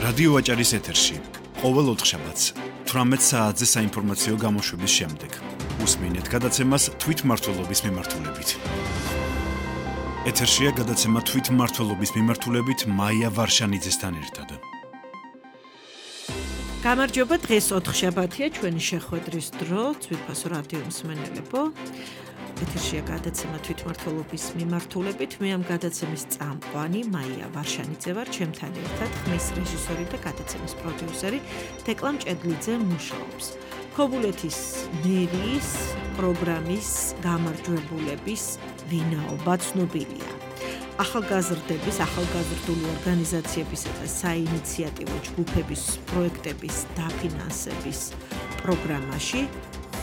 რადიო ვაჭარის ეთერში ყოველ ოთხშაბათს 18 საათზე საინფორმაციო გამოშვების შემდეგ უსმინეთ გადაცემას თვითმმართველობის მიმართულებით. ეთერშია გადაცემა თვითმმართველობის მიმართულებით მაია ვარშანიძესთან ერთად. გამარჯობა, დღეს ოთხშაბათია, ჩვენი შეხვედრის დრო, ძვირფასო რადიო მსმენელებო. ეთერშია გადაცემა თვითმმართველობის მიმართულებით. მე ამ გადაცემის წამყვანი მაია ვარშანიძე ვარ, ჩემთან ერთად ხმის რეჟისორი და გადაცემის პროდიუსერი დეკლა მჭედლიძე მუშაობს. ქობულეთის მერიის პროგრამის გამარჯვებულების ვინაობა ცნობილია. ახალგაზრდების, ახალგაზრდული ორგანიზაციებისა და საინიციატივო ჯგუფების პროექტების დაფინანსების პროგრამაში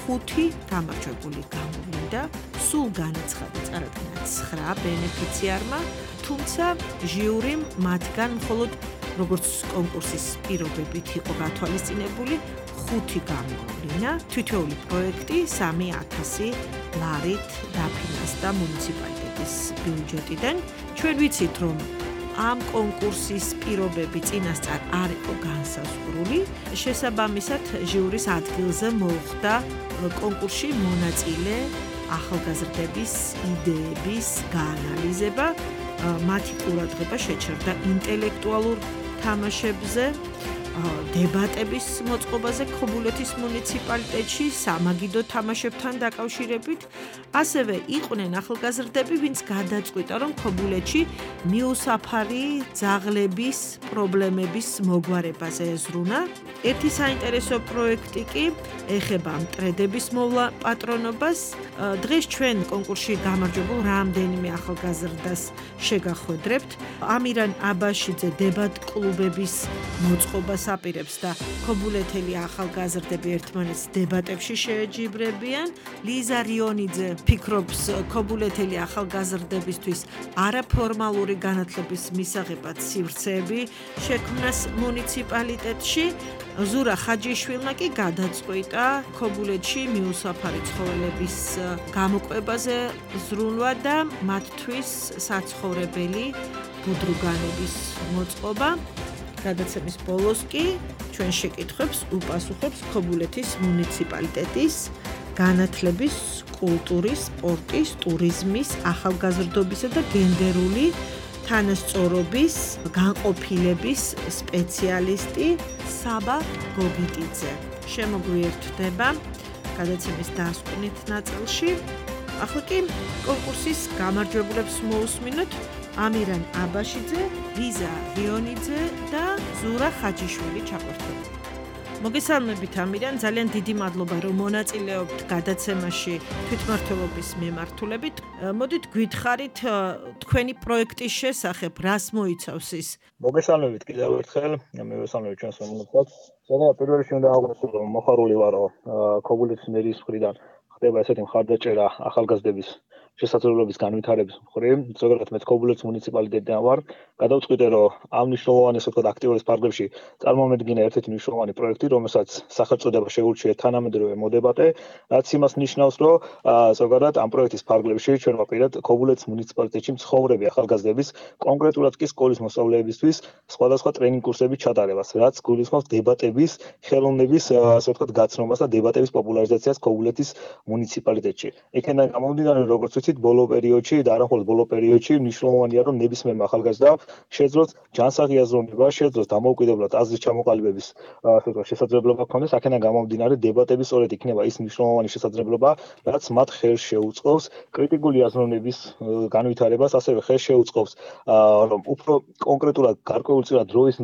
5 გამარჯვებული გამოვლინდა, სულ განაცხადა წარადგინა 9 ბენეფიციარმა, თუმცა ჟიურიმ მათგან მხოლოდ როგორც კონკურსის პირობებით იყო გათვალისწინებული 5 გამოვლინა, თითოეული პროექტი 3,000 ლარით დაფინანსდა მუნიციპალიტეტის ბიუჯეტიდან. ჩვენ ვიცით, რომ ამ კონკურსის პირობები წინასწარ არ იყო განსაზღვრული, შესაბამისად ჟიურის ადგილზე მოხვდა კონკურსში მონაწილე ახალგაზრდების იდეების გაანალიზება, მათი ყურადღება შეჩერდა ინტელექტუალურ თამაშებზე, დებატების მოწყობაზე ქობულეთის მუნიციპალიტეტში სამაგიდო თამაშებთან დაკავშირებით. ასევე იყვნენ ახალგაზრდები, ვინც გადაწყვიტა, რომ ქობულეთში მიუსაფარი ძაღლების პრობლემების მოგვარებაზე ეზრუნა. ერთი საინტერესო პროექტი კი ეხება მტრედების მოვლა პატრონობას. დღეს ჩვენ კონკურსში გამარჯვებულ რამდენიმე ახალგაზრდას შეგახვედრებთ. ამირან აბაშიძე დებატ კლუბების მოწყობას აპირებს და ქობულეთელი ახალგაზრდები ერთმანეთს დებატებში შეეჯიბრებიან. ლიზა რიონიძე ფიქრობს ქობულეთელი ახალგაზრდებისთვის არაფორმალური განათლების მისაღებად სივრცეები შექმნას მუნიციპალიტეტში. ზურა ხაჯიშვილმა კი გადაწყვიტა ქობულეთში მიუსაფარი ცხოველების გამოკვებაზე ზრუნვა და მათთვის საცხოვრებელი ბუდრუგანების მოწყობა. გადაცემის ბოლოს კი ჩვენ შეკითხვებს უპასუხებს ქობულეთის მუნიციპალიტეტის განათლების, კულტურის, სპორტის, ტურიზმის, ახალგაზრდობისა და გენდერული თანასწორობის განყოფილების სპეციალისტი საბა გოგიტიძე. შემოგვიერთდება გადაცემის დასკვნით ნაწილში. ახლა კი კონკურსის გამარჯვებულებს მოусმინოთ. ამირან აბაშიძე, ლიზა რიონიძე და ზურა ხაჯიშვილი ჩაყვერთოთ. მოგესალმებით ამირან, ძალიან დიდი მადლობა რომ მონაწილეობთ გადაცემაში თვითმმართველობის მიმართულებით. მოდით გვითხარით თქვენი პროექტის შესახებ, რას მოიცავს ის? მოგესალმებით კიდევ ერთხელ, მივესალმებით ჩვენს მომხდარს. ზოგადად პირველ რიგში უნდა აღვნიშნო, რომ მოხარული ვარო ქობულეთის მერიის მხრიდან ხდება ესეთი მხარდაჭერა ახალგაზრდების შესაძლებლობის განვითარების მხრივ. ზოგადად მეც ქობულეთის მუნიციპალიტეტიდან ვარ. გადავწყვიტე, რომ ამ მნიშვნელოვან ესე ვთქვათ აქტიურობის ფარგლებში წარმომედგინა ერთ-ერთი მნიშვნელოვანი პროექტი, რომელსაც სახელწოდება შეურჩიეთ თანამედროვე მოდებატე, რაც იმას ნიშნავს, რომ ზოგადად ამ პროექტის ფარგლებში ჩვენ ვაპირებთ ქობულეთის მუნიციპალიტეტში მცხოვრები ახალგაზრდების, კონკრეტულად კი სკოლის მოსწავლეებისთვის სხვადასხვა ტრენინგ კურსების ჩატარებას, რაც გულისხმობს დებატების, ხელოვნების ასე ვთქვათ გაცნობას და დებატების პოპულარიზაციას ქობულეთის მუნიციპალიტეტში. იქიდან გამომდინარე, როგორც ვიცით, ბოლო პერიოდში და არა მხოლოდ ბოლო პერიოდში მნიშვნელოვანია, რომ ნებისმიერმა ახალგაზრდამ შეძლოს ჯანსაღი აზროვნება, შეძლოს დამოუკიდებლად აზრის ჩამოყალიბების ასე ვთქვათ შესაძლებლობა ქონდეს. აქედან გამომდინარე, დებატები სწორედ იქნება ის მნიშვნელოვანი შესაძლებლობა, რაც მათ ხელს შეუწყობს კრიტიკული აზროვნების განვითარებას, ასევე ხელს შეუწყობს, რომ უფრო კონკრეტულად გარკვეულწილად დროის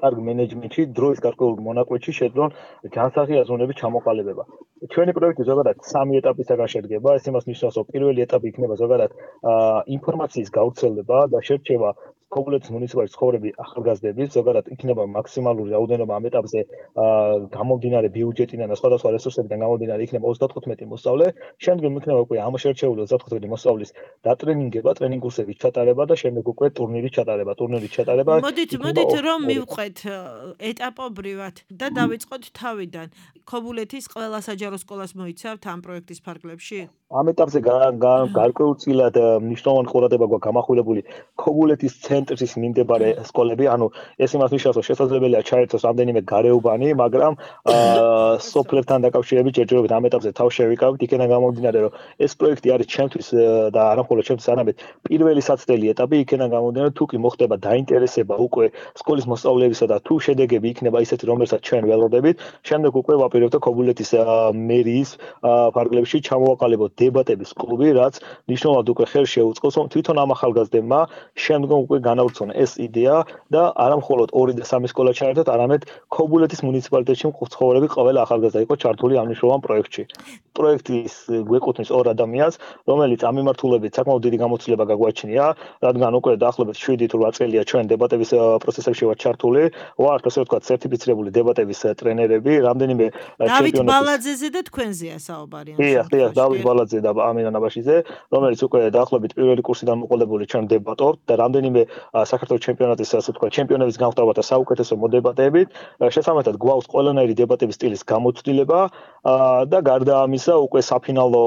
კარგ მენეჯმენტში, დროის გარკვეულ მონაკვეთში შეძლონ ჯანსაღი აზროვნების ჩამოყალიბება. ჩვენი პროექტი ზოგადად 3 ეტაპისაგან შედგება. ეს იმას ნიშნავს, რომ პირველი ეტაპი იქნება ზოგადად ინფორმაციის გავრცელება და შერჩევა ქობულეთის მუნიციპალიტეტის ცხოვრები ახალგაზრდების, ზოგადად იქნება მაქსიმალური რაოდენობა ამ ეტაპზე გამომდინარე ბიუჯეტიდან და სხვადასხვა რესურსებიდან გამომდინარე იქნება 35 მოსწავლე. შემდგომ იქნება უკვე ამ შერჩეული 35 მოსწავლის დატრენინგება, ტრენინგ კურსების ჩატარება და შემდეგ უკვე ტურნირის ჩატარება. მოდით რომ მივყვეთ ეტაპობრივად და დავიწყოთ თავიდან. ქობულეთის ყველა საჯარო სკოლას მოიცავთ ამ პროექტის ფარგლებში? ამ ეტაპზე გარკვეულწილად მნიშვნელოვანი ყურადღება გვაქვს გამახვილებული ქობულეთის ცენტრის მიმდებარე სკოლები, ანუ ეს იმას ნიშნავს, რომ შესაძლებელია ჩაერთოს რამდენიმე გარეუბანი, მაგრამ სოფლებთან დაკავშირებით ჯერჯერობით ამ ეტაპზე თავს შევიკავით, იქიდან გამომდინარე, რომ ეს პროექტი არის ჩემთვის და არა მხოლოდ ჩემთვის, არამედ პირველი საცდელი ეტაპი, იქიდან გამომდინარე, თუ კი მოხდება დაინტერესება უკვე სკოლის მოსწავლეებისა და თუ შედეგები იქნება ისეთი, რომელსაც ჩვენ ველოდებით, შემდეგ უკვე ვაპირებთ ქობულეთის მერიის ფარგლებში ჩამოვაყალიბოთ დებატების კლუბი, რაც მნიშვნელოვნად უკვე ხელს შეუწყობს, რომ თვითონ ამ ახალგაზრდებმა შემდგომ უკვე განავრცონ ეს იდეა და არა მხოლოდ 2 და 3 სკოლა ჩაერთოთ, არამედ ქობულეთის მუნიციპალიტეტში მცხოვრები ყველა ახალგაზრდა იყო ჩართული ამ მნიშვნელოვან პროექტში. პროექტის გვეკუთვნის 2 ადამიანს, რომელიც ამ მიმართულებით საკმაოდ დიდი გამოცდილება გაგვაჩნია, რადგან უკვე დაახლოებით 7 თუ 8 წელია ჩვენ დებატების პროცესებში ვართ ჩართული, ვართ ასე ვთქვათ სერტიფიცირებული დებატების ტრენერები, რამდენიმე დავით ბალაძეზე და თქვენზეა საუბარი. დიახ, დავით ბალაძე და ამინა ნაბაშიძე, რომელიც უკვე დაახლოებით პირველი კურსიდან მოყოლებული ჩვენ დებატობთ და რამდენიმე საქართველოს ჩემპიონატის ასე ვთქვათ ჩემპიონების გამხდარობა და საუკეთესო მოდებატებით, შესაბამისად გვაქვს ყველანაირი დებატების სტილის გამოცდილება და გარდა ამისა უკვე საფინალო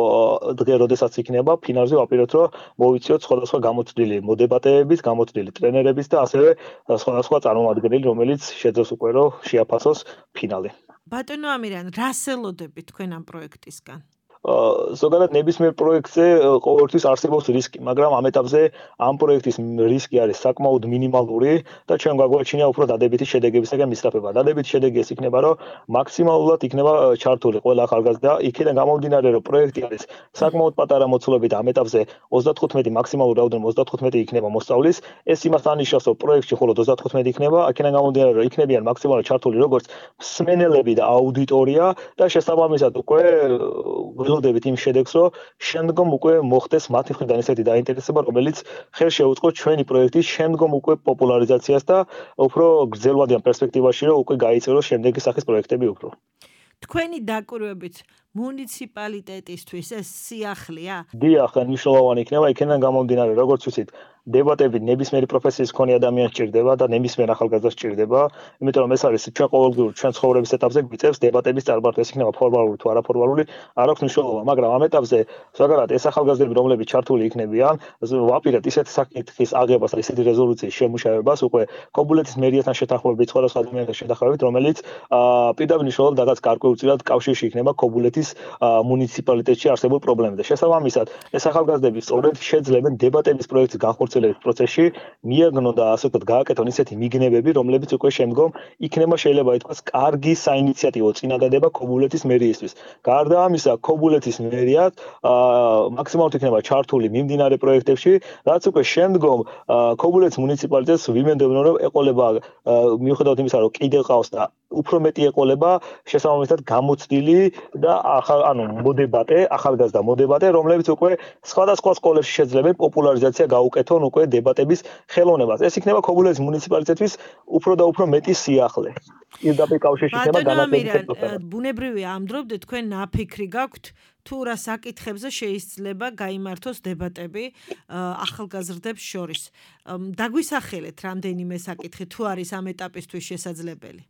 დღე, როდესაც იქნება, ფინალზე ვაპირებთ, რომ მოვიწიოთ სხვადასხვა გამოცდილი მოდებატეების, გამოცდილი ტრენერების და ასევე სხვადასხვა წარმომადგენელი, რომელიც შეძლოს უკვე რომ შეაფასოს ფინალი. ბატონო ამირან, რას ელოდებით თქვენ ამ პროექტისგან? ზოგადად ნებისმიერ პროექტზე ყოველთვის არსებობს რისკი, მაგრამ ამ ეტაპზე ამ პროექტის რისკი არის საკმაოდ მინიმალური და ჩვენ გვაგვაჩნია უფრო დადებითი შედეგებისგან მისწრაფება. დადებითი შედეგი ეს იქნება, რომ მაქსიმალურად იქნება ჩართული ყველა ახალგაზრდა, იქიდან გამომდინარე, რომ პროექტი არის საკმაოდ პატარა მოცულობით ამ ეტაპზე 35 მაქსიმალური რაოდენობა 35 იქნება მოსწავლის, ეს იმას ანიშნავს, რომ პროექტში მხოლოდ 35 იქნება, აქედან გამომდინარე, რომ იქნებიან მაქსიმალურად ჩართული როგორც მსმენელები და აუდიტორია და შესაბამისად უკვე ველოდებით იმ შედეგს, რომ შემდგომ უკვე მოხდეს მათი მხრიდან ესეთი დაინტერესება, რომელიც ხელს შეუწყობს ჩვენი პროექტის შემდგომ უკვე პოპულარიზაციას და უფრო გრძელვადიან პერსპექტივაში, რომ უკვე გაიწეროს შემდეგი სახის პროექტები უფრო. თქვენი დაკვირვებით მუნიციპალიტეტისთვის ეს სიახლეა? დიახ, მნიშვნელოვანი იქნება, იქიდან გამომდინარე, როგორც ვთქვით, დებატები ნებისმიერი პროფესიის მქონე ადამიანს სჭირდება და ნებისმიერ ახალგაზრდას სჭირდება, იმიტომ რომ ეს არის ჩვენ ყოველდღიურ ჩვენ ცხოვრების ეტაპზე გვიწევს დებატების წარმართვა, ეს იქნება ფორმალური თუ არაფორმალური, არ აქვს მნიშვნელობა, მაგრამ ამ ეტაპზე ზოგადად ეს ახალგაზრდები, რომლებიც ჩართული იქნებიან, ვაპირებთ ისეთი საკითხის აღებას და ისეთი რეზოლუციის შემუშავებას უკვე ქობულეთის მერიასთან შეთანხმებით, სხვადასხვა ადამიანთან შეთანხმებით, რომელიც პირდაპირ მნიშვნელოვნად რაღაც გარკვეულწილად კავშირში იქნება ქობულეთის მუნიციპალიტეტში არსებულ პრობლემებზე. შესაბამისად, ეს ახალგაზრდები სწორედ შეძლებენ დებატების პროექტის განხორციელების პროცესში მიაგნონ და ასე ვთქვათ, გააკეთონ ისეთი მიგნებები, რომლებიც უკვე შემდგომ იქნება შეიძლება ითქვას კარგი საინიციატივო წინადადება ქობულეთის მერიისთვის. გარდა ამისა, ქობულეთის მერიად მაქსიმალურად იქნება ჩართული მიმდინარე პროექტებში, რაც უკვე შემდგომ ქობულეთის მუნიციპალიტეტს ვიმეორებდნენ, რომ ეყოლება მიუხედავად იმისა, რომ კიდევ ყავს და უფრო მეტი ეყოლება შესაბამისად გამოცდილი და მოდებატე, ახალგაზრდა მოდებატე, რომლებიც უკვე სხვადასხვა სკოლებში შეძლებენ პოპულარიზაცია გაუკეთონ უკვე დებატების ხელოვნებას. ეს იქნება ქობულეთის მუნიციპალიტეტთვის უფრო და უფრო მეტი სიახლე. პირდაპირ კავშირში იქნება განათლების პროცესი. ბუნებრივია ამ დრომდე თქვენ ნაფიქრი გაქვთ თუ რა საკითხებზე შეიძლება გაიმართოს დებატები ახალგაზრდებს შორის. დაგვისახელეთ რამდენიმე საკითხი თუ არის ამ ეტაპისთვის შესაძლებელი.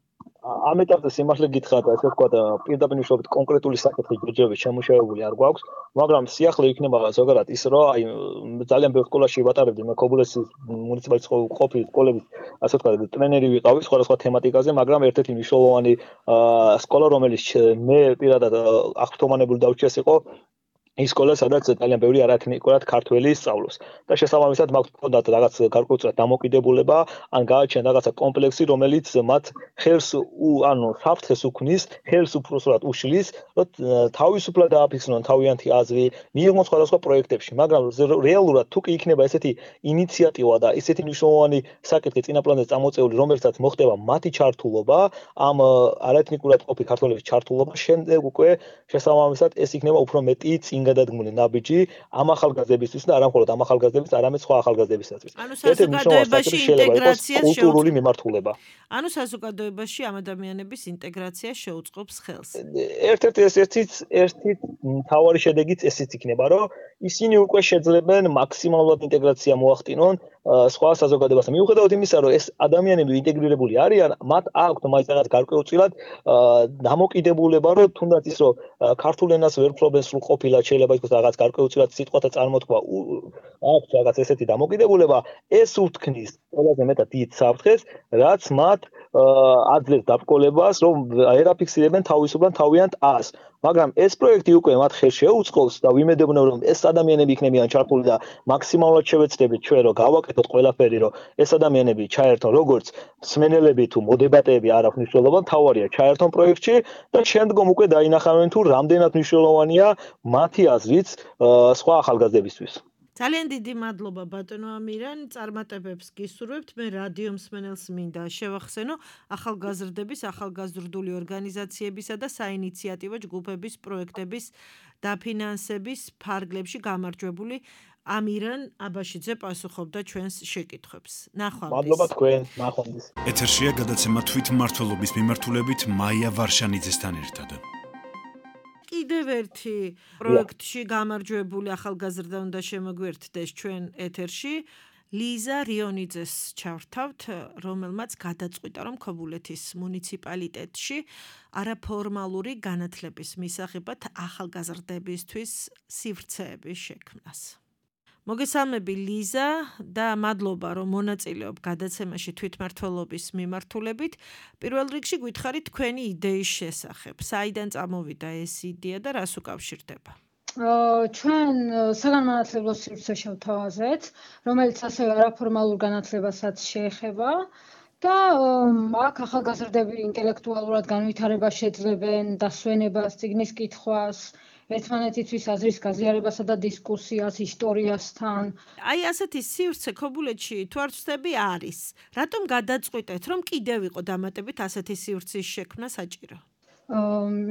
ამ ეტაპზე სიმართლე გითხრათ, ასე ვთქვათ, პირდაპირ მნიშვნელობით კონკრეტული საკითხი ჯერჯერობით შემუშავებული არ გვაქვს, მაგრამ სიახლე იქნება ზოგადად ის, რომ აი ძალიან ბევრ სკოლაში ვატარებდი მე ქობულეთის მუნიციპალიტეტის ყოფილი სკოლების, ასე ვთქვათ, ტრენერი ვიყავი სხვადასხვა თემატიკაზე, მაგრამ ერთ-ერთი მნიშვნელოვანი სკოლა, რომელიც მე პირადად აღფრთოვანებული დავრჩიეს იყო ის სკოლა, სადაც ძალიან ბევრი არათნიკურად ქართველი სწავლობს. და შესაბამისად მაქვს ჰქონდათ რაღაც გარკვეულწილად დამოკიდებულება, ან გააჩნია რაღაცა კომპლექსი, რომელიც მათ ხელს საფრთხეს უქმნის, ხელს უბრალოდ უშლის, რომ თავისუფლად დააფიქსნონ თავიანთი აზრი, მიიღონ სხვადასხვა პროექტებში, მაგრამ რეალურად თუ კი იქნება ესეთი ინიციატივა და ესეთი მნიშვნელოვანი საკითხი წინაპლანზე წამოწეული, რომელსაც მოხდება მათი ჩართულობა, ამ არათნიკურად ყოფილი ქართველების ჩართულობა, შემდეგ უკვე შესაბამისად ეს იქნება უფრო მეტი გადადგმული ნაბიჯი ამ ახალგაზრდებისთვის და არა მხოლოდ ამ ახალგაზრდებისთვის, არამედ სხვა ახალგაზრდებისათვის. ანუ საზოგადოებაში ინტეგრაცია კულტურული მიმართულება. ანუ საზოგადოებაში ამ ადამიანების ინტეგრაცია შეუწყობს ხელს. ერთი მთავარი შედეგიც ესეც იქნება, რომ ისინი უკვე შეძლებენ მაქსიმალურად ინტეგრაცია მოახდინონ სხვა საზოგადოებასთან. მიუხედავად იმისა, რომ ეს ადამიანები ინტეგრირებული არიან, მათ აქვთ მაინც რაღაც გარკვეულწილად დამოკიდებულება, რომ თუნდაც ის რომ ქართულ ენას ვერ ფლობენ სრულყოფილად, შეიძლება ითქვას რაღაც გარკვეულწილად სიტყვათა წარმოთქვა აქვთ რაღაც ესეთი დამოკიდებულება, ეს უთქმის ყველაზე მეტად დიდ საფრთხეს, რაც მათ აძლევს დაბრკოლებას, რომ ერაფიქსირებენ თავისუფლად თავიანთ ას. მაგრამ ეს პროექტი უკვე მათ ხელს შეუწყობს და ვიმედოვნებ, რომ ეს ადამიანები იქნებიან ჩართული და მაქსიმალურად შევეცდებით ჩვენ, რომ გავაკეთოთ ყველაფერი, რომ ეს ადამიანები ჩაერთონ როგორც მსმენელები თუ მოდებატეები არ აქვს მნიშვნელობა, მთავარია ჩაერთონ პროექტში და შემდგომ უკვე დაინახავენ თუ რამდენად მნიშვნელოვანია მათი აზრიც სხვა ახალგაზრდებისთვის. ძალიან დიდი მადლობა ბატონო ამირან, წარმატებებს გისურვებთ. მე რადიო მსმენელს მინდა შევახსენო ახალგაზრდების, ახალგაზრდული ორგანიზაციებისა და საინიციატივო ჯგუფების პროექტების დაფინანსების ფარგლებში გამარჯვებული ამირან აბაშიძე პასუხობდა ჩვენს შეკითხვებს. ნახვამდის. მადლობა თქვენ, ნახვამდის. ეთერშია გადაცემა თვითმმართველობის მიმართულებით მაია ვარშანიძესთან ერთად. კიდევ ერთი პროექტში გამარჯვებული ახალგაზრდა უნდა შემოგვერთდეს ჩვენ ეთერში. ლიზა რიონიძეს ჩავრთავთ, რომელმაც გადაწყვიტა, რომ ქობულეთის მუნიციპალიტეტში არაფორმალური განათლების მისაღებად ახალგაზრდებისთვის სივრცეების შექმნას. მოგესალმები ლიზა და მადლობა, რომ მონაწილეობ გადაცემაში თვითმმართველობის მიმართულებით. პირველ რიგში გითხარით თქვენი იდეის შესახებ. საიდან წამოვიდა ეს იდეა და რას უკავშირდება? ჩვენ საგანმანათლებლო სივრცე შევთავაზეთ, რომელიც ასევე არაფორმალურ განათლებასაც შეეხება და აქ ახალგაზრდები ინტელექტუალურად განვითარებას შეძლებენ, დასვენებას, წიგნის კითხვას, ერთმანეთისთვის აზრის გაზიარებასა და დისკუსიას ისტორიასთან. აი ასეთი სივრცე ქობულეთში თუ არ ვცდები არის. რატომ გადაწყვიტეთ, რომ კიდევ იყო დამატებით ასეთი სივრცის შექმნა საჭირო?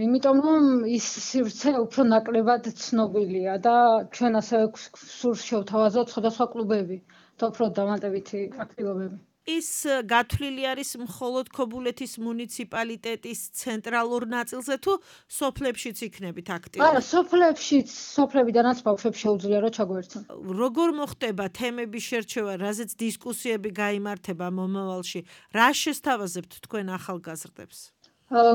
იმიტომ რომ ის სივრცე უფრო ნაკლებად ცნობილია და ჩვენ ასევე სურს შევთავაზოთ სხვადასხვა კლუბები და უფრო დამატებითი აქტივობები. ის გათვლილი არის მხოლოდ ქობულეთის მუნიციპალიტეტის ცენტრალურ ნაწილზე თუ სოფლებშიც იქნებით აქტიური? არა, სოფლებიდანაც ბავშვებს შეუძლია რომ ჩაგვერთონ. როგორ მოხდება თემების შერჩევა, რაზეც დისკუსიები გაიმართება მომავალში? რა შესთავაზებთ თქვენ ახალგაზრდებს?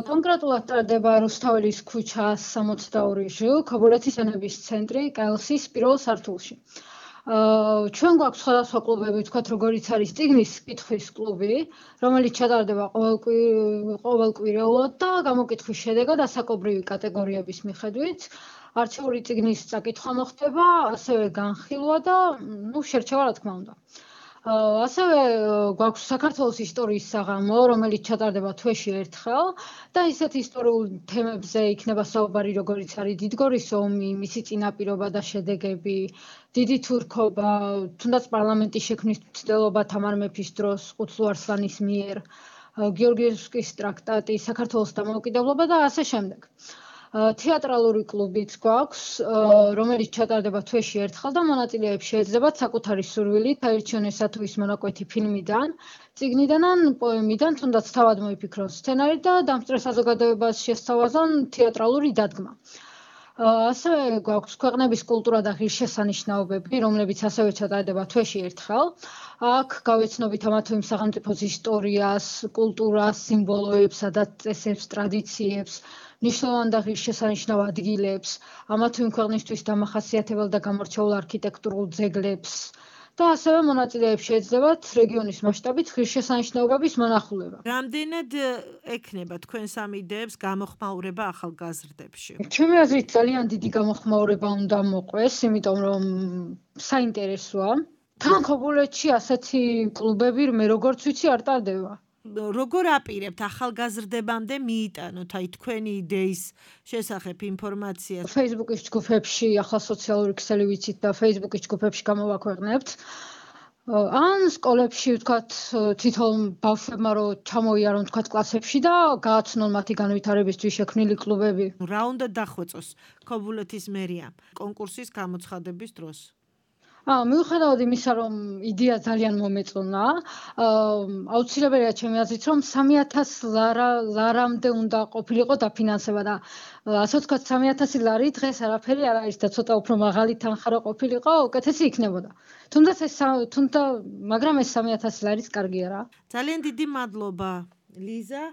კონკრეტულად ტარდება რუსთაველის ქუჩა 62 ჟ, ქობულეთის ენების ცენტრი, კელსის პირველ სართულში. ჩვენ გვაქვს სხვადასხვა კლუბები, ვთქვათ, როგორიც არის წიგნის კითხვის კლუბი, რომელიც ჩატარდება ყოველკვირეულად და გამოკითხვის შედეგად ასაკობრივი კატეგორიების მიხედვით არჩეული წიგნის წაკითხვა მოხდება, ასევე განხილვა და შერჩევა რა თქმა უნდა. ასევე გვაქვს საქართველოს ისტორიის საღამო, რომელიც ჩატარდება თვეში ერთხელ და ისეთ ისტორიულ თემებზე იქნება საუბარი, როგორიც არის დიდგორის ომი, მისი წინაპირობა და შედეგები, დიდი თურქობა, თუნდაც პარლამენტის შექმნის მცდელობა თამარ მეფის დროს ყუწლუ არსლანის მიერ, გიორგიევსკის ტრაქტატი, საქართველოს დამოუკიდებლობა და ასე შემდეგ. თეატრალური კლუბიც გვაქვს, რომელიც ჩატარდება თვეში ერთხელ და მონაწილეებს შეეძლებათ საკუთარი სურვილით აირჩიონ თუ ის მონაკვეთი ფილმიდან, წიგნიდან ან პოემიდან, თუნდაც თავად მოიფიქრონ სცენარი და დამსწრე საზოგადოებას შესთავაზონ თეატრალური დადგმა. ასევე გვაქვს ქვეყნების კულტურა და ღირსშესანიშნაობები, რომლებიც ასევე ჩატარდება თვეში ერთხელ. აქ გავეცნობით ამა თუ იმ სახელმწიფოს ისტორიას, კულტურას, სიმბოლოებსა და წესებს, ტრადიციებს, ნიშნულოვან და ღირსშესანიშნავ ადგილებს, ამა თუ იმ ქვეყნისთვის დამახასიათებელ და გამორჩეულ არქიტექტურულ ძეგლებს და ასევე მონაწილეებს შეეძლებათ რეგიონის მასშტაბით ღირსშესანიშნაობების მონახულება. რამდენად ექნება თქვენს ამ იდეებს გამოხმაურება ახალგაზრდებში? ჩემი აზრით ძალიან დიდი გამოხმაურება უნდა მოყვეს, იმიტომ რომ საინტერესოა. თან ქობულეთში ასეთი კლუბები მე როგორც ვიცი არ ტარდება. როგორ აპირებთ ახალგაზრდებამდე მიიტანოთ აი თქვენი იდეის შესახებ ინფორმაციას? Facebook-ის ჯგუფებში, ახლა სოციალური ქსელი ვიცით და Facebook-ის ჯგუფებში გამოვაქვეყნებთ. ან სკოლებში, ვთქვათ, თვითონ ბავშვებმა რომ ჩამოიარონ, ვთქვათ, კლასებში და გააცნონ მათი განვითარებისთვის შექმნილი კლუბები. რა უნდა დახვეწოს ქობულეთის მერიამ კონკურსის გამოცხადების დროს? მიუხედავად იმისა, რომ იდეა ძალიან მომეწონა, აუცილებელია ჩემი აზრით, რომ 3000 ლარამდე უნდა ყოფილიყო დაფინანსება და ასე ვთქვათ 3000 ლარი დღეს არაფერი არ არის და ცოტა უფრო მაღალი თანხა რო ყოფილიყო, უკეთესი იქნებოდა. მაგრამ ეს 3000 ლარიც კარგი არა. ძალიან დიდი მადლობა, ლიზა.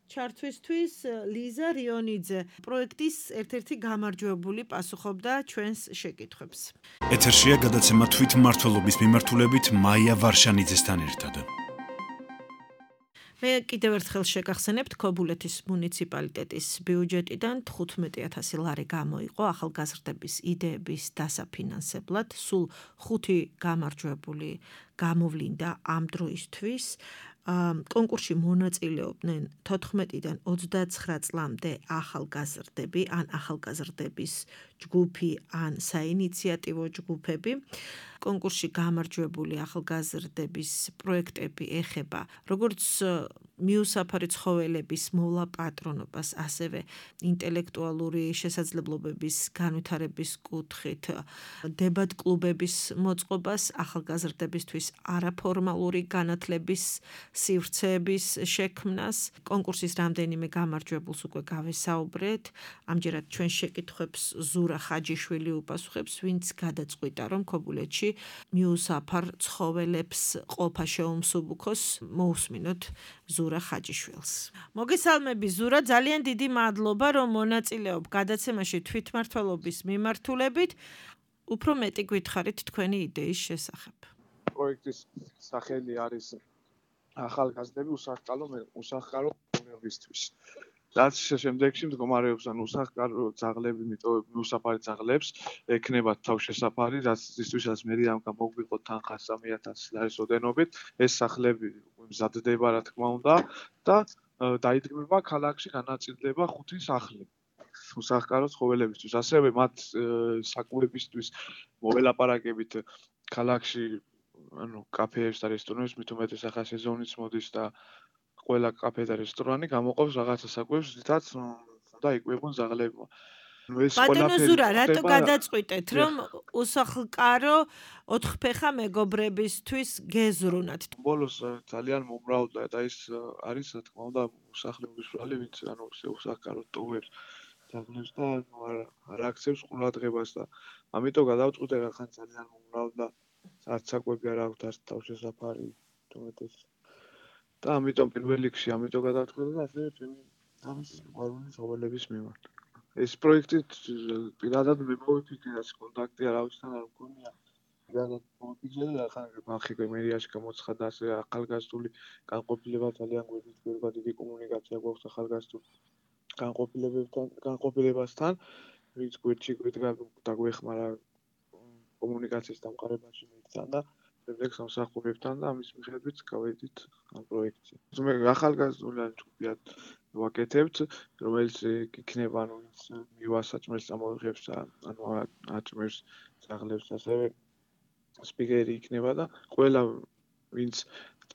ჩართვისთვის ლიზა რიონიძე, პროექტის ერთ-ერთი გამარჯვებული პასუხობდა ჩვენს შეკითხვებს. ეთერშია გადაცემა თვითმმართველობის მიმართულებით მაია ვარშანიძესთან ერთად. მე კიდევ ერთხელ შეგახსენებთ, ქობულეთის მუნიციპალიტეტის ბიუჯეტიდან 15000 ლარი გამოიყო ახალგაზრდების იდეების დასაფინანსებლად. სულ 5 გამარჯვებული გამოვლინდა ამ დროისთვის. კონკურსში მონაწილეობდნენ 14-დან 29 წლამდე ახალგაზრდები, ან ახალგაზრდების ჯგუფი, ან საინიციატივო ჯგუფები. კონკურსში გამარჯვებული ახალგაზრდების პროექტები ეხება როგორც მიუსაფარი ცხოველების მოვლა-პატრონობას, ასევე ინტელექტუალური შესაძლებლობების განვითარების კუთხით დებატ-კლუბების მოწყობას, ახალგაზრდებისთვის არაფორმალური განათლების სივრცეების შექმნას. კონკურსის რამდენიმე გამარჯვებულს უკვე გავესაუბრეთ. ამჯერად ჩვენ შეკითხვებს ზურა ხაჯიშვილი უპასუხებს, ვინც გადაწყვიტა, რომ ქობულეთში მიუსაფარ ცხოველებს ყოფა შეუმსუბუქოს. მოусმინოთ ზურა ხაჯიშვილს. მოგესალმები ზურა, ძალიან დიდი მადლობა, რომ მონაწილეობ გადაცემაში თვითმმართველობის მიმართულებით. უფრო მეტი გითხარით თქვენი იდეის შესახებ. პროექტის სახელი არის ახალგაზრდები უსახლკარო მდგომარეობისთვის. რაც შემდეგში მდგომარეობს ან უსახლკარო ძაღლები, მიუსაფარი ძაღლებს ექნებათ თავშესაფარი, რაცთვისაც მე ამ გამოგვიყოთ თანხა 3000 ლარის ოდენობით, ეს სახლები მზადდება, რა თქმა უნდა, და დაიდგმება ქალაქში განაწილდება 5 სახლი უსახლკარო ცხოველებისთვის. ასევე მათ საკვებისთვის მოველაპარაკებით ქალაქში კაფეებს და რესტორნებს, მით უმეტეს ახლა სეზონიც მოდის და ყველა კაფე და რესტორანი გამოყოფს რაღაცა საკვებს, რითაც უნდა იკვებონ ძაღლებმა. ბატონო ზურა, რატო გადაწყვიტეთ, რომ უსახლკარო ოთხფეხა მეგობრებისთვის გეზრუნათ? ბოლოს ძალიან მომრავლდა და ის არის, რა თქმა უნდა, მოსახლეობის ბრალი, ვინც უსახლკარო ტოვებს ძაღლებს და არ აქცევს ყურადღებას და ამიტომ გადავწყვიტე, რახან ძალიან მომრავლდა, არც საკვები არ აქვს, არც თავშესაფარი, თუმეტეს. და ამიტომ პირველ რიგში ამიტომ გადავწყვიტე და ასევე ჩემი ამის სიყვარული ცხოველების მიმართ. ეს პროექტი პირადად მე მოვიფიქრე, რაც კონტაქტი არავისთან არ მქონია. პირადად მოვიფიქრე და ახლა ხალხი მერიაში გამოცხადა, ასე ახალგაზრდული განყოფილება ძალიან გვერდით დიდი კომუნიკაცია გვაქვს ახალგაზრდულ განყოფილებასთან, ვინც გვერდში გვიდგა და გვეხმარა კომუნიკაციის დამყარებაში მეთქან და შემდეგ სამსახურებთან და ამის მიხედვით გავედით ამ პროექტზე. მე ახალგაზრდული ჯგუფად ვაკეთებთ, რომელიც იქნება ვინც მივასაჭმელს ამოიღებს ანუ აჭმევს ძაღლებს, ასევე სპიკერი იქნება და ყველა ვინც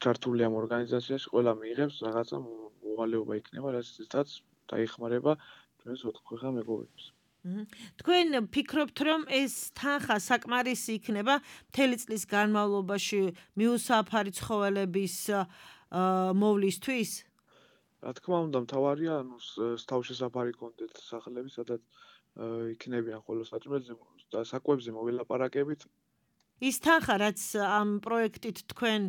ჩართული ამ ორგანიზაციაში, ყველა მიიღებს რაღაცა მოვალეობა იქნება, რასაც დაიხმარება ჩვენს ოთხფეხა მეგობრებს. თქვენ ფიქრობთ, რომ ეს თანხა საკმარისი იქნება მთელი წლის განმავლობაში მიუსაფარი ცხოველების მოვლისთვის? რა თქმა უნდა, მთავარია, თავშესაფარი კონდეთ სახლები, სადაც იქნებიან ხოლო საჭმელზე და საკვებზე მოველაპარაკებით. ის თანხა, რაც ამ პროექტით თქვენ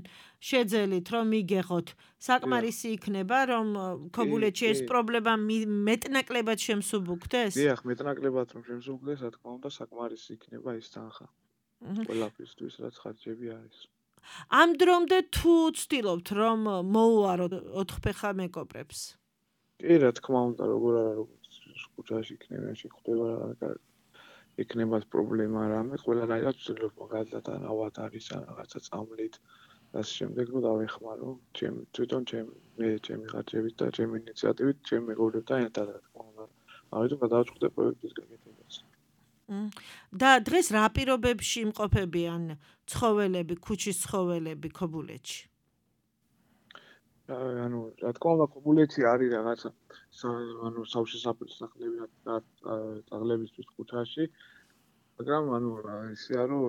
შეძელით, რომ იგეხოთ, საკმარისი იქნება, რომ ქობულეთში ეს პრობლემა მეტნაკლებად შემსუბუქდეს? დიახ, მეტნაკლებად რომ შემსუბუქდეს, რა თქმა უნდა, საკმარისი იქნება ეს თანხა. ყველაფრისთვის, რაც ხარჯები არის. ამ დრომდე თუ ცდილობთ, რომ მოუაროთ ოთხფეხა მეგობრებს? კი, რა თქმა უნდა, როგორ არა, როგორც ქუჩაში იქნება, შეხვდება იქნებათ პრობლემა რამე, ყველანაირად ვცდილობ მაგალითად ავად არის ან რაღაცა წამლით და ამ შემდეგ რომ დავეხმარო თვითონ ჩემი ხარჯებით და ჩემი ინიციატივით, ჩემი მეგობრებთან ერთად, რა თქმა უნდა. ამიტომ გადავწყვიტე პროექტის გაკეთებას. და დღეს რა პირობებში იმყოფებიან ცხოველები, ქუჩის ცხოველები ქობულეთში? ანუ რა თქმა უნდა, ქობულეთში არის რაღაცა სავშესაფრის სახლები ძაღლებისთვის ქუჩაში, მაგრამ ისეა რომ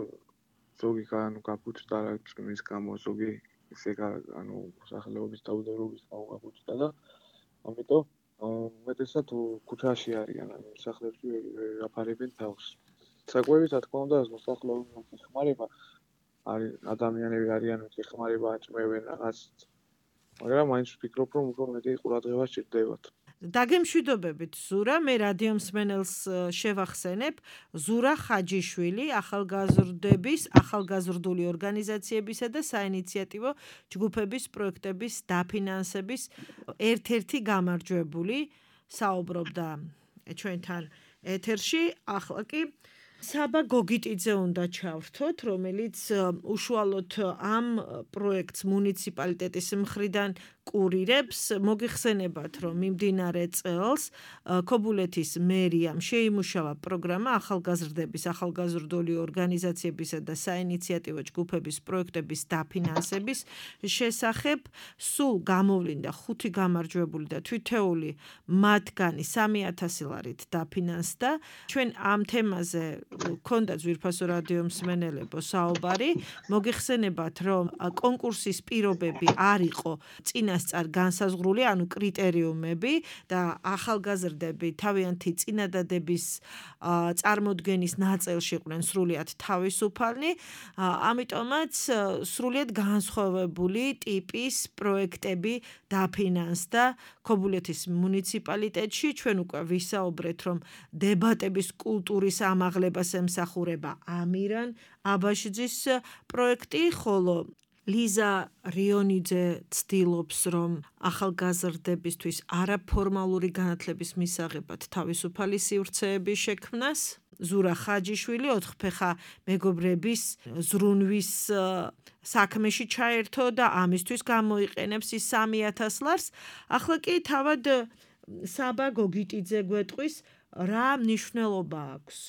ზოგი გაფუჭდა რა წვიმის გამო, ზოგი ისე მოსახლეობის დაუდევრობის გამო გაფუჭდა და ამიტომ უმეტესად ქუჩაში არიან, მოსახლეებში აფარებენ თავს. საკვები, რა თქმა უნდა, მოსახლეობის ხმარება არის ადამიანები არიან, ხმარება აწმევენ რაღაც. მაგრამ მაინც ვფიქრობ, რომ უფრო მეტი ყურადღება სჭირდებათ. დაგემშვიდობებით ზურა, მე რადიო მსმენელს შევახსენებ, ზურა ხაჯიშვილი, ახალგაზრდული ორგანიზაციებისა და საინიციატივო ჯგუფების პროექტების დაფინანსების ერთ-ერთი გამარჯვებული საუბრობდა ჩვენთან ეთერში. ახლა კი საბა გოგიტიძე უნდა ჩავრთოთ, რომელიც უშუალოდ ამ პროექტს მუნიციპალიტეტის მხრიდან კურირებს. მოგიხსენებათ, რომ მიმდინარე წელს ქობულეთის მერიამ შეიმუშავა პროგრამა ახალგაზრდების, ახალგაზრდული ორგანიზაციებისა და საინიციატივო ჯგუფების პროექტების დაფინანსების შესახებ. სულ გამოვლინდა 5 გამარჯვებული და თითოეული მათგანი 3,000 ლარით დაფინანსდა. ჩვენ ამ თემაზე ქონდა ძვირფასო რადიო მსმენელებო საუბარი. მოგიხსენებათ, რომ კონკურსის პირობები არ იყო წინასწარ განსაზღვრული, ანუ კრიტერიუმები და ახალგაზრდები თავიანთი წინადადების წარმოდგენის ნაწილში იყვნენ სრულიად თავისუფალნი. ამიტომაც სრულიად განსხვავებული ტიპის პროექტები დაფინანსდა ქობულეთის მუნიციპალიტეტში. ჩვენ უკვე ვისაუბრეთ, რომ დებატების კულტურის ამაღლებას ემსახურება ამირან აბაშიძის პროექტი, ხოლო ლიზა რიონიძე ცდილობს, რომ ახალგაზრდებისთვის არაფორმალური განათლების მისაღებად თავისუფალი სივრცეების შექმნას. ზურა ხაჯიშვილი 4-ფეხა მეგობრების ზრუნვის საქმეში ჩაერთო და ამისთვის გამოიყენებს ის 3,000 ლარს. ახლა კი თავად საბა გოგიტიძე გვეტყვის, რა მნიშვნელობა აქვს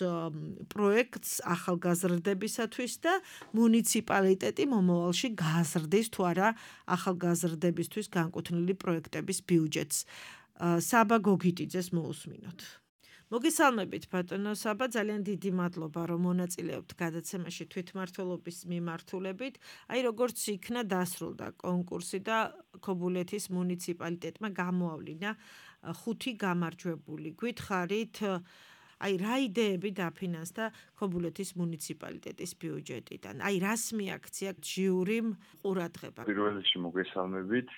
პროექტს ახალგაზრდებისათვის და მუნიციპალიტეტი მომავალში გაზრდის თუ არა ახალგაზრდებისთვის განკუთვნილი პროექტების ბიუჯეტს. საბა გოგიტიძეს მოусმინოთ. მოგესალმებით ბატონო საბა, ძალიან დიდი მადლობა, რომ მონაწილეობთ გადაცემაში თვითმმართველობის მიმართულებით. აი როგორც იქნა დასრულდა კონკურსი და ქობულეთის მუნიციპალიტეტმა გამოავლინა 5 გამარჯვებული. გითხარით, აი რა იდეები დაფინანსდა ქობულეთის მუნიციპალიტეტის ბიუჯეტიდან? აი რას მიაქცია ჟიურიმ ყურადღება? პირველ რიგში მოგესალმებით.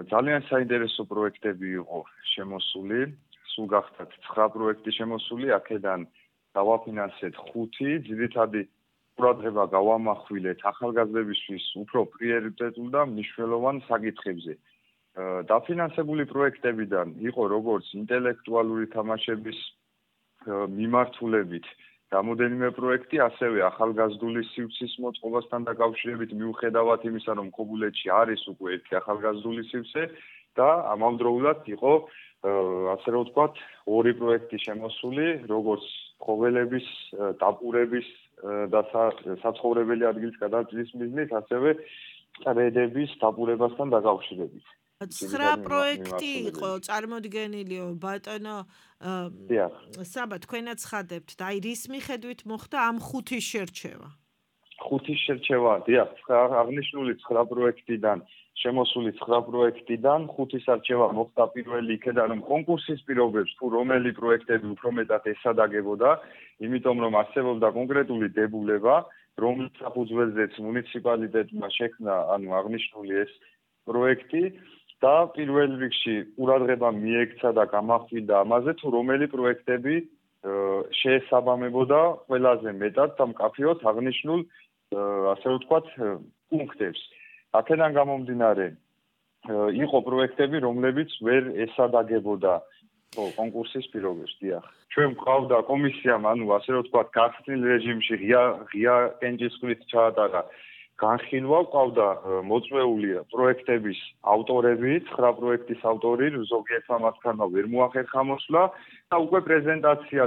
ძალიან საინტერესო პროექტები იყო შემოსული. სულ გახდათ 9 პროექტი შემოსული, აქედან დავაფინანსეთ 5, ძირითადი ყურადღება გავამახვილეთ ახალგაზრდებისთვის უფრო პრიორიტეტულ და მნიშვნელოვან საკითხებზე. დაფინანსებული პროექტებიდან იყო როგორც ინტელექტუალური თამაშების მიმართულებით რამოდენიმე პროექტი, ასევე ახალგაზრდული სივრცის მოწყობასთან დაკავშირებით მიუხედავად იმისა, რომ ქობულეთში არის უკვე ერთი ახალგაზრდული სივრცე და ამავდროულად იყო ასე რომ ვთქვათ, 2 პროექტი შემოსული, როგორც ცხოველების, დაპურების და საცხოვრებელი ადგილის გადაჭრის მიზნით, ასევე წრედების დაპურებასთან დაკავშირებით. 9 პროექტი იყო წარმოდგენილიო ბატონო საბა, თქვენაც ხადებთ და აი რის მიხედვით მოხდა ამ 5-ის შერჩევა? 5-ის შერჩევა, დიახ, აღნიშნული 9 პროექტიდან შემოსული 9 პროექტიდან 5-ის არჩევა მოხდა პირველი იქედან, რომ კონკურსის პირობებს თუ რომელი პროექტები უფრო მეტად ესადაგებოდა, იმიტომ რომ არსებობდა კონკრეტული დებულება, რომლის საფუძველზეც მუნიციპალიტეტმა შექმნა, აღნიშნული ეს პროექტი და პირველ რიგში ყურადღება მიექცა და გამახვილდა ამაზე, თუ რომელი პროექტები შეესაბამებოდა ყველაზე მეტად და მკაფიოდ აღნიშნულ, ასე ვთქვათ, პუნქტებს. აქედან გამომდინარე, იყო პროექტები, რომლებიც ვერ ესადაგებოდა კონკურსის პირობებს, დიახ. ჩვენ გვყავდა კომისიამ, ასე რომ ვთქვათ, გახსნილ რეჟიმში ღია კენჭისყრით ჩაატარა განხილვა, გვყავდა მოწვეული პროექტების ავტორები, 9 პროექტის ავტორი, ზოგიერთმა მათგანმა ვერ მოახერხა მოსვლა და უკვე პრეზენტაცია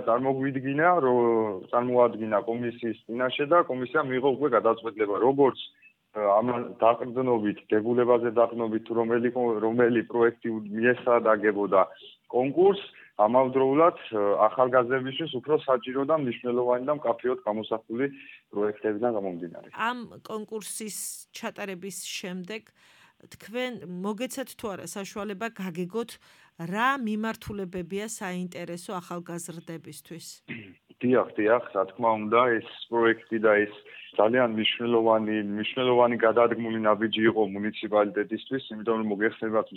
წარმოადგინა კომისიის წინაშე და კომისიამ მიიღო უკვე გადაწყვეტილება, როგორც ამ დაყრდნობით, დებულებაზე დაყრდნობით, რომელი პროექტი მიესადაგებოდა კონკურსს ამავდროულად ახალგაზრდებისთვის უფრო საჭირო და მნიშვნელოვანი და მკაფიოდ გამოსახული პროექტებიდან გამომდინარე. ამ კონკურსის ჩატარების შემდეგ თქვენ მოგეცათ თუ არა საშუალება გაგეგოთ რა მიმართულებებია საინტერესო ახალგაზრდებისთვის? დიახ, რა თქმა უნდა, ეს პროექტი და ეს ძალიან მნიშვნელოვანი გადადგმული ნაბიჯი იყო მუნიციპალიტეტისთვის, იმიტომ რომ მოგეხსენებათ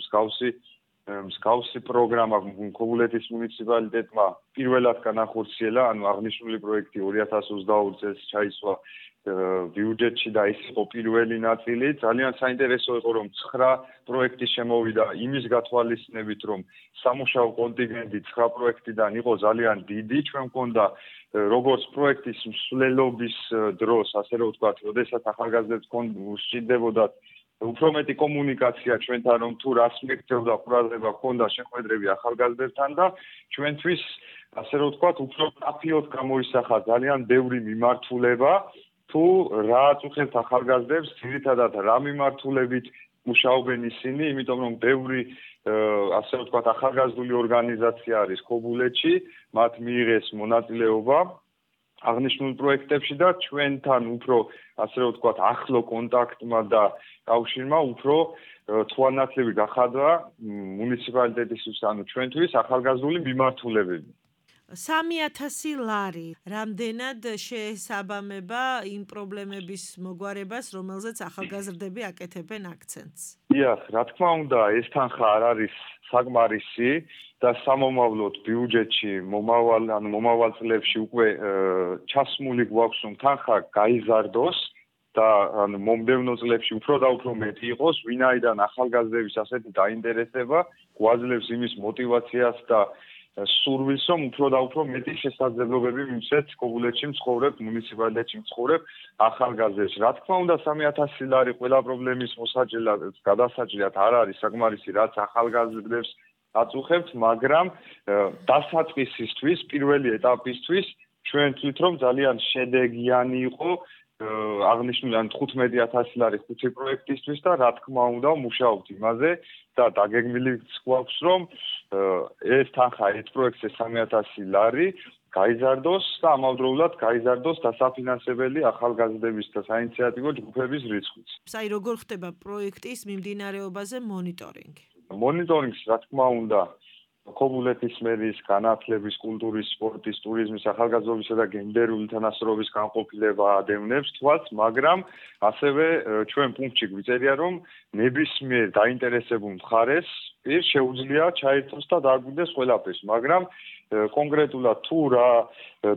მსგავსი პროგრამა ქობულეთის მუნიციპალიტეტმა პირველად განახორციელა, ანუ აღნიშნული პროექტი 2022 წელს ჩაისვა ბიუჯეტში და ეს იყო პირველი ნაწილი. ძალიან საინტერესო იყო, რომ 9 პროექტი შემოვიდა იმის გათვალისწინებით, რომ სამუშაო კონტინგენტი 9 პროექტიდან იყო ძალიან დიდი. ჩვენ მქონდა როგორც პროექტის მსვლელობის დროს, ასე რომ ვთქვათ, როდესაც ახალგაზრდებს სჭირდებოდათ უფრო მეტი კომუნიკაცია ჩვენთან, რომ თუ რას მეკითხებდა ყურადღება ჰქონდა შეხვედრები ახალგაზრდებთან და ჩვენთვის, ასე რომ ვთქვათ, უფრო მკაფიოდ გამოისახა ძალიან ბევრი მიმართულება, თუ რა აწუხებთ ახალგაზრდებს, ძირითადად რა მიმართულებით მუშაობენ ისინი, იმიტომ რომ ბევრი ასე ვთქვათ, ახალგაზრდული ორგანიზაცია არის ქობულეთში, მათ მიიღეს მონაწილეობა აღნიშნულ პროექტებში და ჩვენთან უფრო, ასე ვთქვათ, ახლო კონტაქტმა და კავშირმა უფრო თვალნათლივი გახადა მუნიციპალიტეტისთვის, ანუ ჩვენთვის ახალგაზრდული მიმართულებები. 3000 ლარი რამდენად შეესაბამება იმ პრობლემების მოგვარებას, რომელზეც ახალგაზრდები აკეთებენ აქცენტს? დიახ, რა თქმა უნდა, ეს თანხა არ არის საკმარისი და სამომავლოდ ბიუჯეტში მომავალ წლებში უკვე ჩასმული გვაქვს, რომ თანხა გაიზარდოს და მომდევნო წლებში უფრო და უფრო მეტი იყოს, ვინაიდან ახალგაზრდების ასეთი დაინტერესება გვაძლევს იმის мотиваციას და სურვილს, რომ უფრო და უფრო მეტი შესაძლებლობები მივცეთ ქობულეთში მცხოვრებ, მუნიციპალიტეტში მცხოვრებ ახალგაზრდებს. რა თქმა უნდა, 3000 ლარი ყველა პრობლემის გადასაჭრად არ არის საკმარისი, რაც ახალგაზრდებს აწუხებთ, მაგრამ დასაწყისისთვის, პირველი ეტაპისთვის ჩვენ თვით რომ ძალიან შედეგიანი იყო აღნიშნული 15000 ლარი 5 პროექტისთვის და რა თქმა უნდა მუშაობთ იმაზე და დაგეგმილიც გვაქვს რომ ეს თანხა ეს პროექტზე 3000 ლარი გაიზარდოს და ამავდროულად გაიზარდოს დასაფინანსებელი ახალგაზრდების და საინიციატივო ჯგუფების რიცხვიც. აი როგორ ხდება პროექტის მიმდინარეობაზე მონიტორინგი? მონიტორინგს რა თქმა უნდა ქობულეთის მერის განათლების, კულტურის, სპორტის, ტურიზმის, ახალგაზრდობისა და გენდერული თანასწორობის განყოფილება ადევნებს თვალს, მაგრამ ასევე ჩვენ პუნქტში გვიწერია, რომ ნებისმიერ დაინტერესებულ მხარეს შეუძლია ჩაერთოს და დააგვირდეს ყველაფერს, მაგრამ კონკრეტულად თუ რა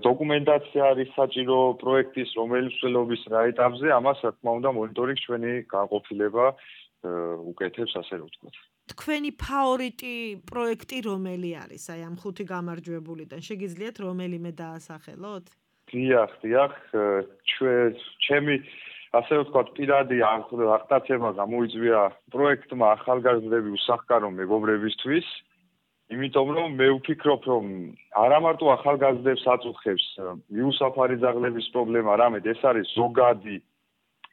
დოკუმენტაცია არის საჭირო პროექტის რომელი მსვლელობის რა ეტაპზე, ამას რა თქმა უნდა მონიტორინგს ჩვენი განყოფილება უკეთებს, ასე რომ ვთქვათ. თქვენი ფავორიტი პროექტი რომელი არის? აი ამ 5 გამარჯვებულიდან შეგიძლიათ რომელიმე დაასახელოთ? დიახ, ჩემი ასე ვთქვათ, პირადი აღტაცება გამოიწვია პროექტმა ახალგაზრდები უსახკარო მეგობრებისთვის, იმიტომ რომ მე ვფიქრობ, რომ არა მარტო ახალგაზრდებს აწუხებს მიუსაფარი ძაღლების პრობლემა, არამედ ეს არის ზოგადი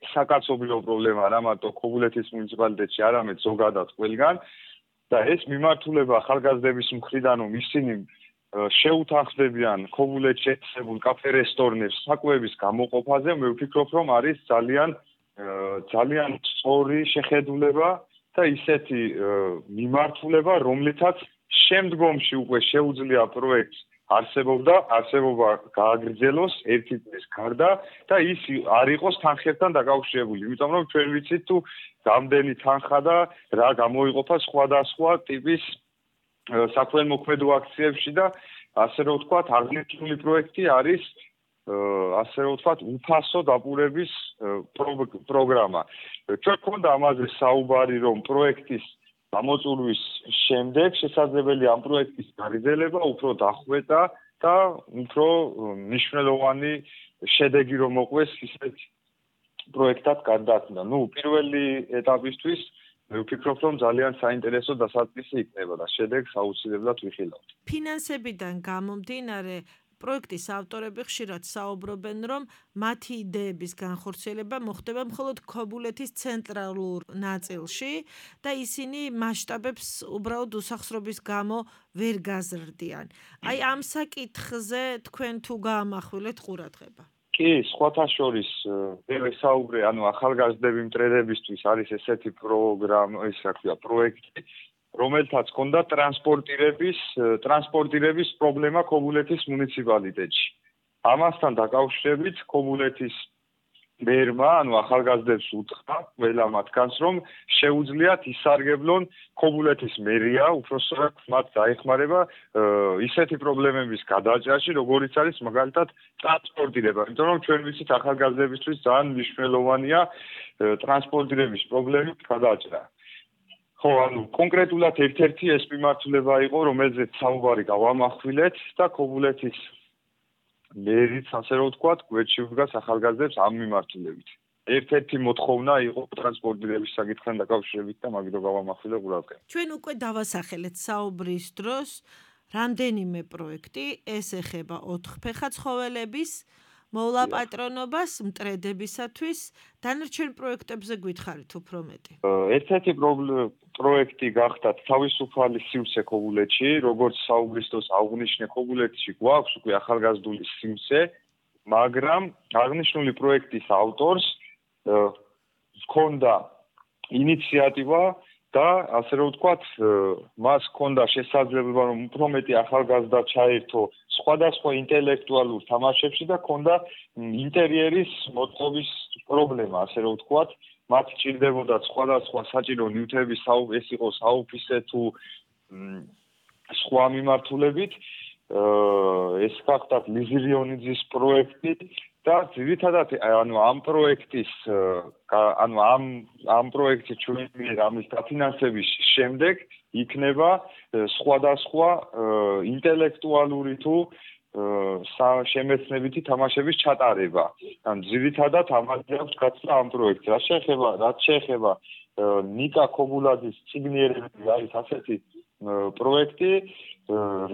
საკაცობრიო პრობლემა არა მარტო ქობულეთის მუნიციპალიტეტში, არამედ ზოგადად ყველგან და ეს მიმართულება ახალგაზრდების მხრიდან რომ ისინი შეუთანხმდებიან ქობულეთში ეთსებულ კაფე-რესტორნებს საკვების გამოყოფაზე, მე ვფიქრობ, რომ არის ძალიან სწორი შეხედულება და ისეთი მიმართულება, რომლითაც შემდგომში უკვე შეუძლია პროექტს არსებობა გააგრძელოს ერთი წლის გარდა და ის არ იყოს თანხებთან დაკავშირებული. იმიტომ რომ ჩვენ ვიცით თუ რამდენი თანხა და რა გამოიყოფა სხვადასხვა ტიპის საქველმოქმედო აქციებში და ასე რომ ვთქვათ, აღნიშნული პროექტი არის ასე რომ ვთქვათ, უფასო დაპურების პროგრამა. ჩვენ გქონდა ამაზე საუბარი, რომ პროექტის გამოწვევის შემდეგ შესაძლებელი ამ პროექტის გაგრძელება უფრო დახვეწა და უფრო მნიშვნელოვანი შედეგი რომ მოყვეს ისეთ პროექტად გარდაქმნა. პირველი ეტაპისთვის მე ვფიქრობ, რომ ძალიან საინტერესო დასაწყისი იქნება და შედეგს აუცილებლად ვიხილავთ. ფინანსებიდან გამომდინარე პროექტის ავტორები ხშირად საუბრობენ, რომ მათი იდეების განხორციელება მოხდება მხოლოდ ქობულეთის ცენტრალურ ნაწილში და ისინი მასშტაბებს უბრალოდ უსახსრობის გამო ვერ გაზრდიან. აი ამ საკითხზე თქვენ თუ გაამახვილეთ ყურადღება? კი, სხვათა შორის ვესაუბრე, ახალგაზრდები მტრედებისთვის არის ესეთი პროექტი, რომელთაც ჰქონდა ტრანსპორტირების პრობლემა ქობულეთის მუნიციპალიტეტში. ამასთან დაკავშირებით ქობულეთის მერმა, ახალგაზრდებს უთხრა ყველა მათგანს, რომ შეუძლიათ ისარგებლონ ქობულეთის მერია, უпроსტად მათ დაეხმარება ისეთი პრობლემების გადაჭრაში, როგორიც არის მაგალითად ტრანსპორტირება. იმიტომ რომ ჩვენ ვიცით ახალგაზრდებისთვის ძალიან მნიშვნელოვანია ტრანსპორტირების პრობლემის გადაჭრა. ხო, კონკრეტულად ერთ-ერთი ეს მიმართულება იყო, რომელზეც საუბარი გავამახვილეთ და ქობულეთის მერიც, ასე რომ ვთქვათ, გვერდში უდგას ახალგაზრდებს ამ მიმართულებით. ერთ-ერთი მოთხოვნა იყო ტრანსპორტირების საკითხთან დაკავშირებით და მაგით გავამახვილე ყურადღება. ჩვენ უკვე დავასახელეთ საუბრის დროს რამდენიმე პროექტი, ეს ეხება 4-ფეხა ცხოველების მოვლაპატრონობას მტრედებისათვის, დანარჩენ პროექტებზე გითხარით უფრო მეტი. ერთ-ერთი პროექტი გახდათ თავისუფალი სივრცე ქობულეთში, როგორც საუბრის დროს აღვნიშნე, ქობულეთში გვაქვს უკვე ახალგაზრდული სივრცე, მაგრამ აღნიშნული პროექტის ავტორს ჰქონდა ინიციატივა და ასე რომ ვთქვათ, მას ჰქონდა შესაძლებლობა, რომ უფრო მეტი ახალგაზრდა ჩაერთო სხვადასხვა ინტელექტუალურ თამაშებში და ჰქონდა ინტერიერის მოწყობის პრობლემა, ასე რომ ვთქვათ, მათ ჭირდებოდა სხვადასხვა საჭირო ნივთები, ეს იყო საოფისე თუ სხვა მიმართულებით. ეს გახდათ ლიზი რიონიძის პროექტი და ძირითადად ამ პროექტის ამ პროექტის ჩვენი ამის დაფინანსების შემდეგ იქნება სხვადასხვა ინტელექტუალური თუ შემეცნებითი თამაშების ჩატარება. ან ძირითადად ამაზე აქვს გაცნობა ამ პროექტს. რაც შეეხება ნიკა ქობულაძის ციგნიერები არის ასეთი პროექტი,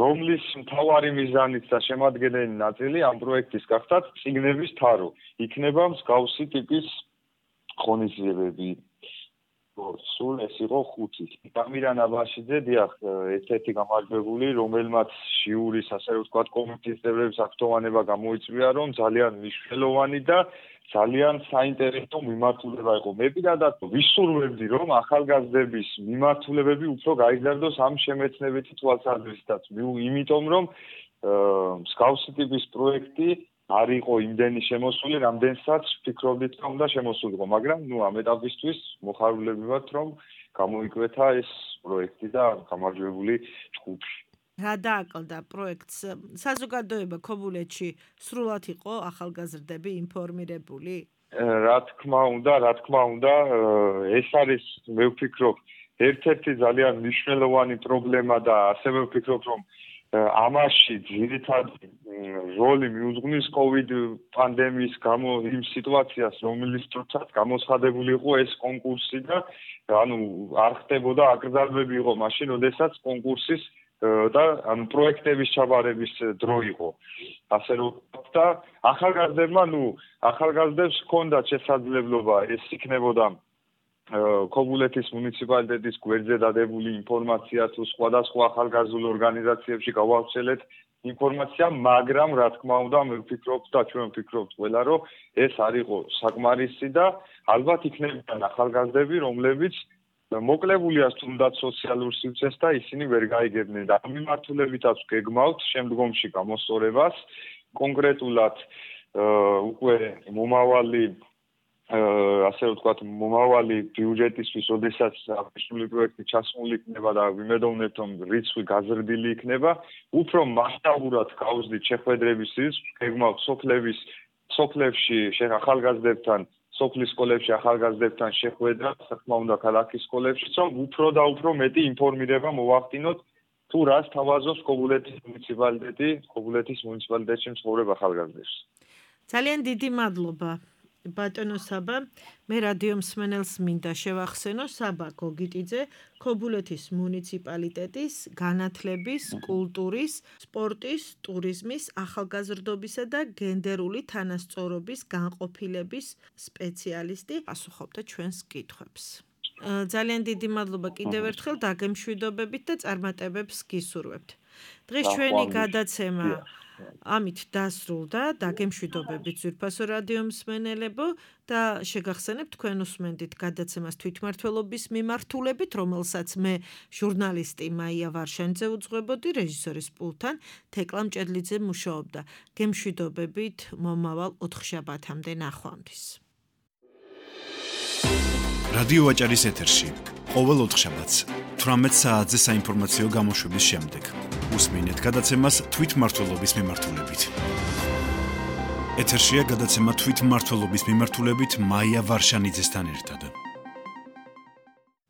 რომლის მთავარი მიზანიც და შემადგენელი ნაწილი ამ პროექტის გახდათ ციგნების თარო. იქნება მსგავსი ტიპის ღონისძიებები. სულ ეს იყო 5. გამირან აბაშიძე, დიახ, ერთ-ერთი გამარჯვებული, რომელმაც ჟიურის, ასე რომ ვთქვათ, კომიტეტის წევრების აქტოვანება გამოიწვია, რომ ძალიან მნიშვნელოვანი და ძალიან საინტერესო მიმართულება იყო. მე პირადად ვისურვებდი, რომ ახალგაზრდების მიმართულებები უფრო გაიზარდოს ამ შემეცნებითი თვალსაზრისითაც. იმიტომ რომ მსგავსი ტიპის პროექტი არ იყო იმდენი შემოსული, რამდენსაც ვფიქრობდით, რომ უნდა შემოსულიყო, მაგრამ ამ ეტაპისთვის მოხარულები ვართ, რომ გამოიკვეთა ეს პროექტი და გამარჯვებული ჯგუფი. რა დააკლდა პროექტს? საზოგადოება ქობულეთში სრულად იყო ახალგაზრდები ინფორმირებული? რა თქმა უნდა, ეს არის, მე ვფიქრობ, ერთ-ერთი ძალიან მნიშვნელოვანი პრობლემა და ასევე ვფიქრობ, რომ ამაში ძირითადი როლი მიუძღვნის COVID პანდემიის გამო იმ სიტუაციას, რომლის დროსაც გამოცხადებული იყო ეს კონკურსი და არ ხდებოდა აკრძალვები იყო მაშინ, როდესაც კონკურსის და პროექტების ჩაბარების დრო იყო. ასე რომ და ახალგაზრდებს ჰქონდათ შესაძლებლობა ეს იქნებოდა ქობულეთის მუნიციპალიტეტის გვერდზე დადებული ინფორმაცია თუ სხვადასხვა ახალგაზრდულ ორგანიზაციებში გავავრცელეთ ინფორმაცია, მაგრამ რა თქმა უნდა, მე ვფიქრობ და ჩვენ ვფიქრობთ ყველა, რომ ეს არ იყო საკმარისი და ალბათ იქნებიან ახალგაზრდები, რომლებიც მოკლებულია თუნდაც სოციალურ სივრცეს და ისინი ვერ გაიგებდნენ და ამ მიმართულებითაც გეგმავთ შემდგომში გამოსწორებას, კონკრეტულად უკვე მომავალი ბიუჯეტისთვის, როდესაც აღნიშნული პროექტი ჩასმული იქნება და ვიმედოვნებთ, რომ რიცხვი გაზრდილი იქნება, უფრო მასშტაბურად გავუძდით შეხვედრების რიცხვს, გეგმავთ სოფლებში ახალგაზრდებთან, სოფლის სკოლებში ახალგაზრდებთან შეხვედრა, თქმა უნდა, ქალაქის სკოლებში, რომ უფრო და უფრო მეტი ინფორმირება მოვახდინოთ თუ რას თავაზობს ქობულეთის მუნიციპალიტეტში მცხოვრებ ახალგაზრდებს. ძალიან დიდი მადლობა. ბატონო საბა, მე რადიო მსმენელს მინდა შევახსენო საბა გოგიტიძე, ქობულეთის მუნიციპალიტეტის განათლების, კულტურის, სპორტის, ტურიზმის, ახალგაზრდობისა და გენდერული თანასწორობის განყოფილების სპეციალისტი, პასუხობდა ჩვენს კითხვებს. ძალიან დიდი მადლობა კიდევ ერთხელ დაგემშვიდობებით და წარმატებებს გისურვებთ. დღეს ჩვენი გადაცემა ამით დასრულდა, დაგემშვიდობებით ძვირფასო რადიო მსმენელებო და შეგახსენებთ თქვენ უსმენდით გადაცემას თვითმმართველობის მიმართულებით, რომელსაც მე ჟურნალისტი მაია ვარშანიძე უძღვებოდი, რეჟისორის პულტთან თეკლა მჭედლიძე მუშაობდა. გემშვიდობებით მომავალ 4 შაბათამდე ნახვამდის. რადიო ვაჭარის ეთერში ყოველ 4 შაბათს 18 საათზე საინფორმაციო გამოშვების შემდეგ უსმინეთ გადაცემას თვითმმართველობის მიმართულებით. ეთერშია გადაცემა თვითმმართველობის მიმართულებით მაია ვარშანიძესთან ერთად.